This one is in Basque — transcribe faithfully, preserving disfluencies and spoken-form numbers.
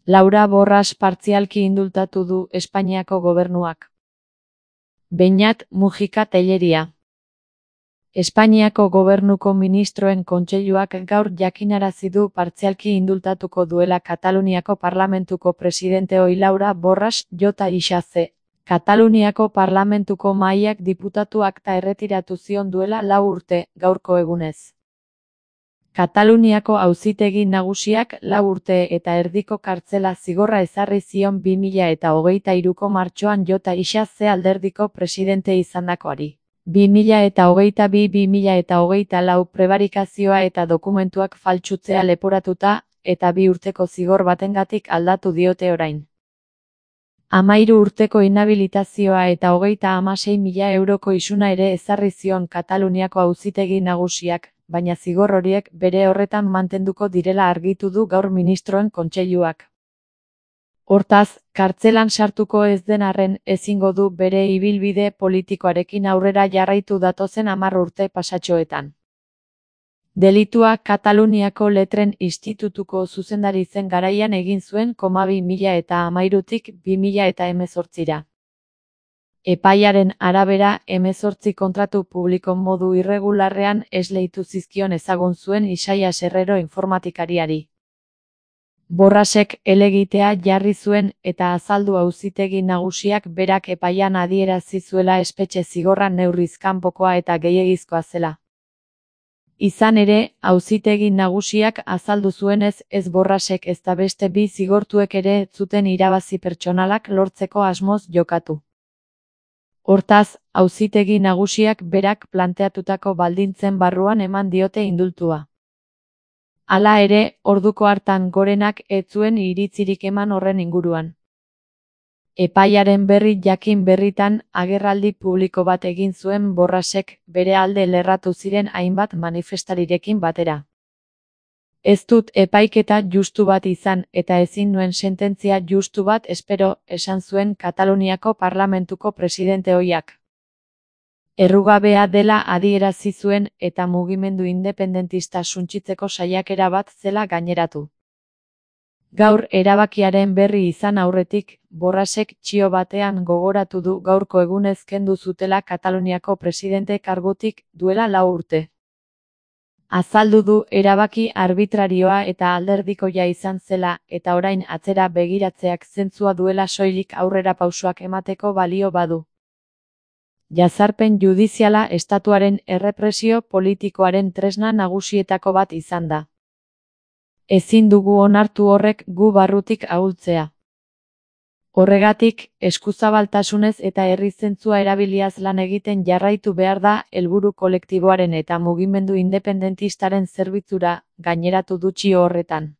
Laura Borras partzialki indultatu du Espainiako gobernuak. Beñat Mujika Tellería. Espainiako gobernuko ministroen kontseiluak gaur jakinarazi du partzialki indultatuko duela Kataluniako parlamentuko presidente ohi Laura Borras Jota Ixaze. Kataluniako parlamentuko mahaiak diputatu akta erretiratu zion duela lau urte, gaurko egunez. Kataluniako auzitegi nagusiak lau urte eta erdiko kartzela zigorra ezarri zion bi mila eta hogeita hiruko martxoan Jota Ixaze alderdiko presidente izandakoari. bi mila eta hogeita bi bi mila eta hogeita lau prebarikazioa eta dokumentuak faltsutzea leporatuta, eta bi urteko zigor batengatik aldatu diote orain. Hamairu urteko inhabilitazioa eta hogeita hamasei mila euroko isuna ere ezarri zion Kataluniako auzitegi nagusiak, baina zigor horiek bere horretan mantenduko direla argitu du gaur ministroen kontseiluak. Hortaz, kartzelan sartuko ez den arren ezingo du bere ibilbide politikoarekin aurrera jarraitu datozen hamar urte pasatxoetan. Delitua Kataluniako Letren Institutuko zuzendari zen garaian egin zuen bi mila eta hamairutik bi mila eta hemezortzira. Epaiaren arabera, hemezortzi kontratu publiko modu irregularrean esleitu zizkion ezagun zuen Isaias Herrero informatikariari. Borrasek helegitea jarri zuen eta azaldu auzitegi nagusiak berak epaian adierazi zuela espetxe zigorra neurriz kanpokoa eta gehiegizkoa zela. Izan ere, auzitegi nagusiak azaldu zuenez ez Borrasek ezta beste bi zigortuek ere ez zuten irabazi pertsonalak lortzeko asmoz jokatu. Hortaz, auzitegi nagusiak berak planteatutako baldintzen barruan eman diote indultua. Hala ere, orduko hartan Gorenak ez zuen iritzirik eman horren inguruan. Epaiaren berri jakin berritan agerraldi publiko bat egin zuen Borrasek bere alde lerratu ziren hainbat manifestarirekin batera. Ez dut epaiketa justu bat izan eta ezin nuen sententzia justu bat espero, esan zuen Kataluniako parlamentuko presidente ohiak. Errugabea dela adierazi zuen eta mugimendu independentista suntsitzeko saiakera bat zela gaineratu. Gaur erabakiaren berri izan aurretik, Borrasek txio batean gogoratu du gaurko egunez kendu zutela Kataluniako presidente kargutik duela lau urte. Azaldu du erabaki arbitrarioa eta alderdikoia izan zela eta orain atzera begiratzeak zentzua duela soilik aurrera pausoak emateko balio badu. Jazarpen judiziala estatuaren errepresio politikoaren tresna nagusietako bat izan da. Ezin dugu onartu horrek gu barrutik ahultzea. Horregatik, eskuzabaltasunez eta herri zentzua erabiliaz lan egiten jarraitu behar da helburu kolektiboaren eta mugimendu independentistaren zerbitzura, gaineratu du txio horretan.